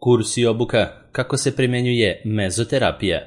Kurs i obuka kako se primjenjuje mezoterapija.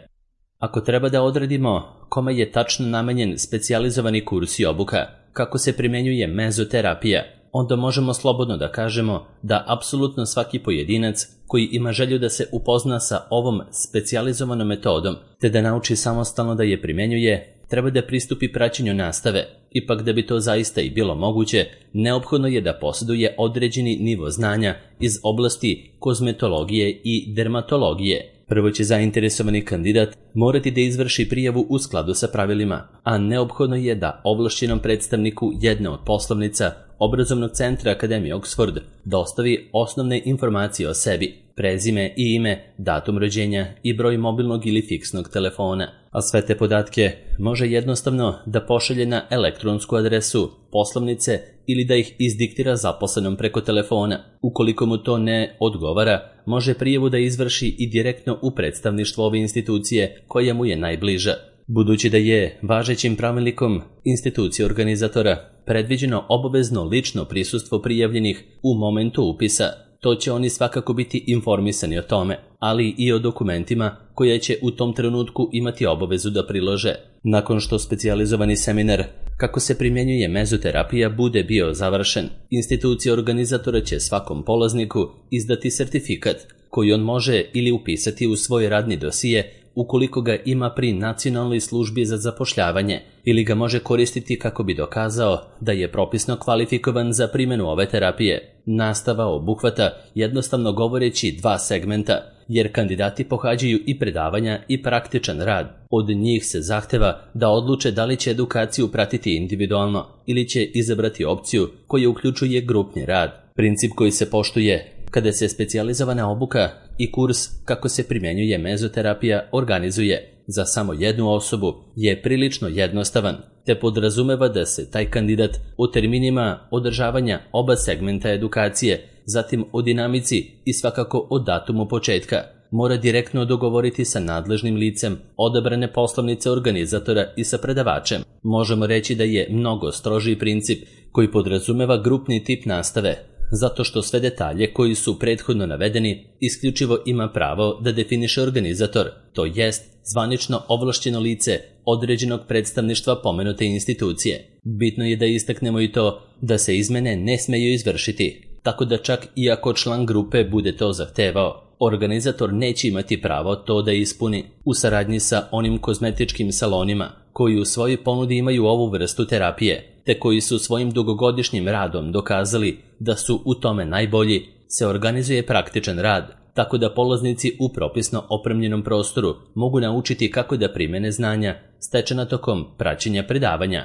Ako treba da odredimo kome je tačno namenjen specijalizovani kurs i obuka kako se primjenjuje mezoterapija, onda možemo slobodno da kažemo da apsolutno svaki pojedinac koji ima želju da se upozna sa ovom specijalizovanom metodom te da nauči samostalno da je primjenjuje, treba da pristupi praćenju nastave. Ipak da bi to zaista i bilo moguće, neophodno je da posjeduje određeni nivo znanja iz oblasti kozmetologije i dermatologije. Prvo će zainteresovani kandidat morati da izvrši prijavu u skladu sa pravilima, a neophodno je da ovlašćenom predstavniku jedne od poslovnica Obrazovnog centra Akademije Oxford dostavi osnovne informacije o sebi, prezime i ime, datum rođenja i broj mobilnog ili fiksnog telefona, a sve te podatke može jednostavno da pošalje na elektronsku adresu poslovnice ili da ih izdiktira zaposlenom preko telefona. Ukoliko mu to ne odgovara, može prijavu da izvrši i direktno u predstavništvo ove institucije koja mu je najbliža. Budući da je važećim pravilnikom institucije organizatora predviđeno obavezno lično prisustvo prijavljenih u momentu upisa, to će oni svakako biti informisani o tome, ali i o dokumentima koje će u tom trenutku imati obavezu da prilože. Nakon što specijalizovani seminar kako se primjenjuje mezoterapija bude bio završen, institucija organizatora će svakom polazniku izdati sertifikat koji on može ili upisati u svoj radni dosije ukoliko ga ima pri Nacionalnoj službi za zapošljavanje ili ga može koristiti kako bi dokazao da je propisno kvalifikovan za primjenu ove terapije. Nastava obuhvata, jednostavno govoreći, dva segmenta, jer kandidati pohađaju i predavanja i praktičan rad. Od njih se zahteva da odluče da li će edukaciju pratiti individualno ili će izabrati opciju koja uključuje grupni rad. Princip koji se poštuje kada se specijalizovana obuka i kurs kako se primjenjuje mezoterapija organizuje za samo jednu osobu je prilično jednostavan, te podrazumeva da se taj kandidat u terminima održavanja oba segmenta edukacije, zatim o dinamici i svakako o datumu početka, mora direktno dogovoriti sa nadležnim licem odabrane poslovnice organizatora i sa predavačem. Možemo reći da je mnogo strožiji princip koji podrazumeva grupni tip nastave, zato što sve detalje koji su prethodno navedeni isključivo ima pravo da definiše organizator, to jest zvanično ovlašćeno lice određenog predstavništva pomenute institucije. Bitno je da istaknemo i to da se izmene ne smeju izvršiti, tako da čak i ako član grupe bude to zahtevao, organizator neće imati pravo to da ispuni. U saradnji sa onim kozmetičkim salonima koji u svojoj ponudi imaju ovu vrstu terapije, te koji su svojim dugogodišnjim radom dokazali da su u tome najbolji, se organizuje praktičan rad, tako da polaznici u propisno opremljenom prostoru mogu naučiti kako da primene znanja stečena tokom praćenja predavanja.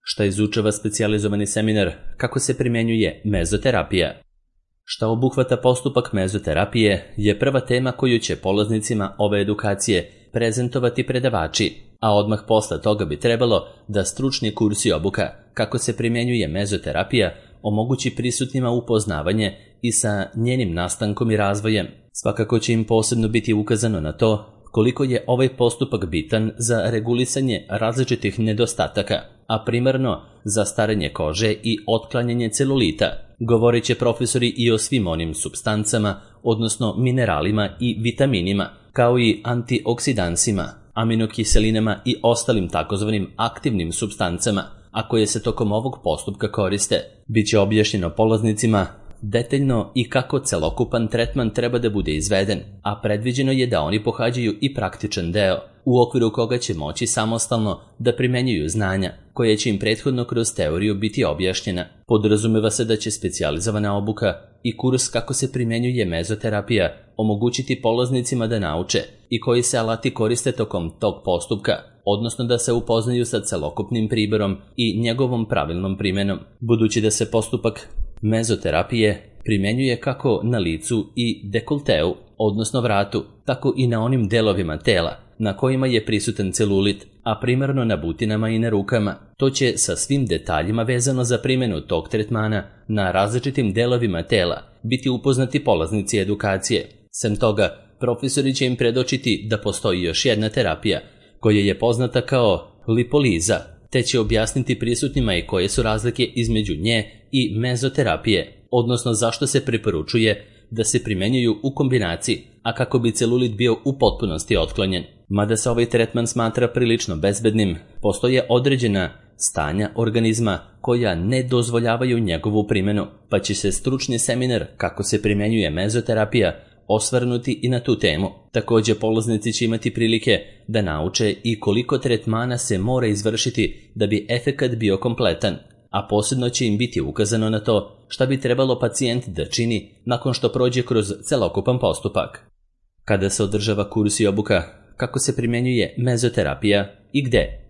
Šta izučava specijalizovani seminar kako se primjenjuje mezoterapija? Šta obuhvata postupak mezoterapije je prva tema koju će polaznicima ove edukacije prezentovati predavači, a odmah posle toga bi trebalo da stručni kurs i obuka kako se primjenjuje mezoterapija omogući prisutnima upoznavanje i sa njenim nastankom i razvojem. Svakako će im posebno biti ukazano na to koliko je ovaj postupak bitan za regulisanje različitih nedostataka, a primarno za starenje kože i otklanjanje celulita. Govorit će profesori i o svim onim supstancama, odnosno mineralima i vitaminima, kao i antioksidansima, aminokiselinama i ostalim takozvanim aktivnim supstancama, a koje se tokom ovog postupka koriste. Biće objašnjeno polaznicima detaljno i kako celokupan tretman treba da bude izveden, a predviđeno je da oni pohađaju i praktičan deo, u okviru koga će moći samostalno da primenjuju znanja, koje će im prethodno kroz teoriju biti objašnjena. Podrazumeva se da će specijalizovana obuka i kurs kako se primenjuje mezoterapija omogućiti polaznicima da nauče i koji se alati koriste tokom tog postupka, odnosno da se upoznaju sa celokupnim priborom i njegovom pravilnom primenom. Budući da se postupak mezoterapije primjenjuje kako na licu i dekolteu, odnosno vratu, tako i na onim delovima tela na kojima je prisutan celulit, a primarno na butinama i na rukama. To će sa svim detaljima vezano za primjenu tog tretmana na različitim delovima tela biti upoznati polaznici edukacije. Sem toga, profesori će im predočiti da postoji još jedna terapija koja je poznata kao lipoliza, te će objasniti prisutnima i koje su razlike između nje i mezoterapije, odnosno zašto se preporučuje da se primjenjuju u kombinaciji, a kako bi celulit bio u potpunosti otklonjen. Mada se ovaj tretman smatra prilično bezbednim, postoje određena stanja organizma koja ne dozvoljavaju njegovu primjenu, pa će se stručni seminar kako se primjenjuje mezoterapija osvrnuti i na tu temu. Također polaznici će imati prilike da nauče i koliko tretmana se mora izvršiti da bi efekat bio kompletan, a posebno će im biti ukazano na to šta bi trebalo pacijent da čini nakon što prođe kroz celokupan postupak. Kada se održava kurs i obuka, kako se primjenjuje mezoterapija i gde?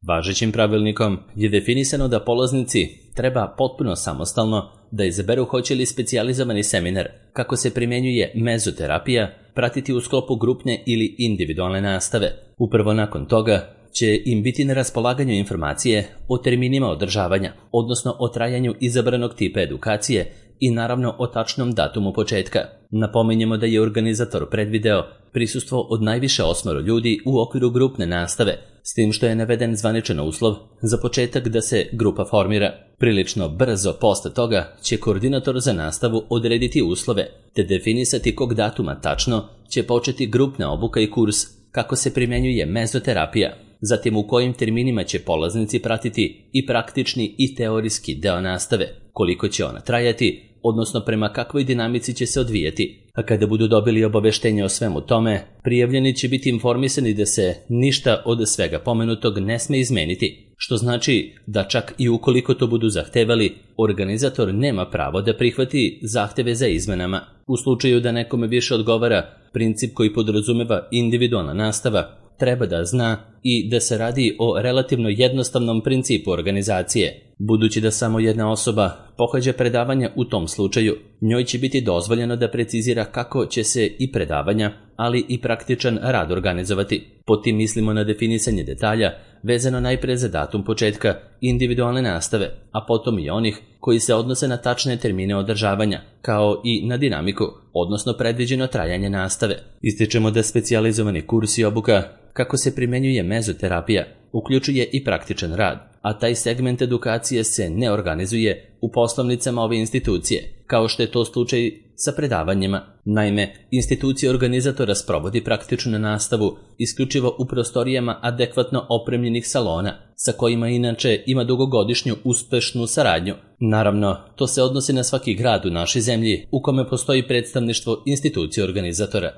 Važećim pravilnikom je definisano da polaznici treba potpuno samostalno da izaberu hoće li specijalizovani seminar kako se primjenjuje mezoterapija pratiti u sklopu grupne ili individualne nastave. Upravo nakon toga će im biti na raspolaganju informacije o terminima održavanja, odnosno o trajanju izabranog tipa edukacije i naravno o tačnom datumu početka. Napominjemo da je organizator predvideo prisustvo od najviše 8 ljudi u okviru grupne nastave, s tim što je naveden zvaničan uslov za početak da se grupa formira. Prilično brzo posle toga će koordinator za nastavu odrediti uslove te definisati kog datuma tačno će početi grupna obuka i kurs kako se primjenjuje mezoterapija, zatim u kojim terminima će polaznici pratiti i praktični i teorijski deo nastave, koliko će ona trajati, odnosno prema kakvoj dinamici će se odvijati. A kada budu dobili obaveštenje o svemu tome, prijavljeni će biti informisani da se ništa od svega pomenutog ne sme izmeniti, što znači da čak i ukoliko to budu zahtevali, organizator nema pravo da prihvati zahteve za izmenama. U slučaju da nekome više odgovara princip koji podrazumeva individualna nastava, treba da zna i da se radi o relativno jednostavnom principu organizacije. Budući da samo jedna osoba pohađa predavanja u tom slučaju, njoj će biti dozvoljeno da precizira kako će se i predavanja, ali i praktičan rad organizovati. Pod tim mislimo na definisanje detalja, vezano najpre za datum početka individualne nastave, a potom i onih koji se odnose na tačne termine održavanja, kao i na dinamiku, odnosno predviđeno trajanje nastave. Ističemo da specijalizovani kurs i obuka kako se primjenjuje mezoterapija uključuje i praktičan rad, a taj segment edukacije se ne organizuje u poslovnicama ove institucije, kao što je to slučaj sa predavanjima. Naime, institucija organizatora sprovodi praktičnu nastavu isključivo u prostorijama adekvatno opremljenih salona, sa kojima inače ima dugogodišnju uspešnu saradnju. Naravno, to se odnosi na svaki grad u našoj zemlji u kome postoji predstavništvo institucije organizatora.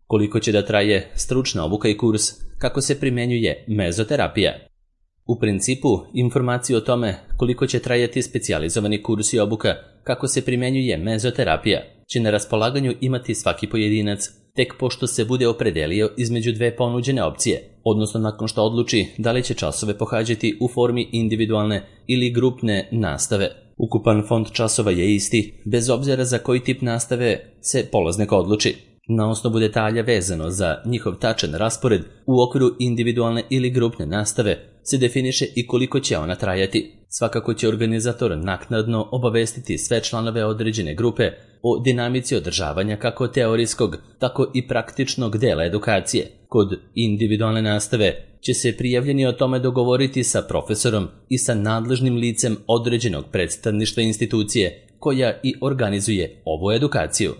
Koliko će da traje stručna obuka i kurs kako se primjenjuje mezoterapija? U principu, informaciju o tome koliko će trajati specijalizovani kurs i obuka kako se primjenjuje mezoterapija će na raspolaganju imati svaki pojedinac tek pošto se bude opredelio između dve ponuđene opcije, odnosno nakon što odluči da li će časove pohađati u formi individualne ili grupne nastave. Ukupan fond časova je isti, bez obzira za koji tip nastave se polaznik odluči. Na osnovu detalja vezano za njihov tačan raspored u okviru individualne ili grupne nastave se definiše i koliko će ona trajati. Svakako će organizator naknadno obavestiti sve članove određene grupe o dinamici održavanja kako teorijskog, tako i praktičnog dela edukacije. Kod individualne nastave će se prijavljeni o tome dogovoriti sa profesorom i sa nadležnim licem određenog predstavništva institucije koja i organizuje ovu edukaciju.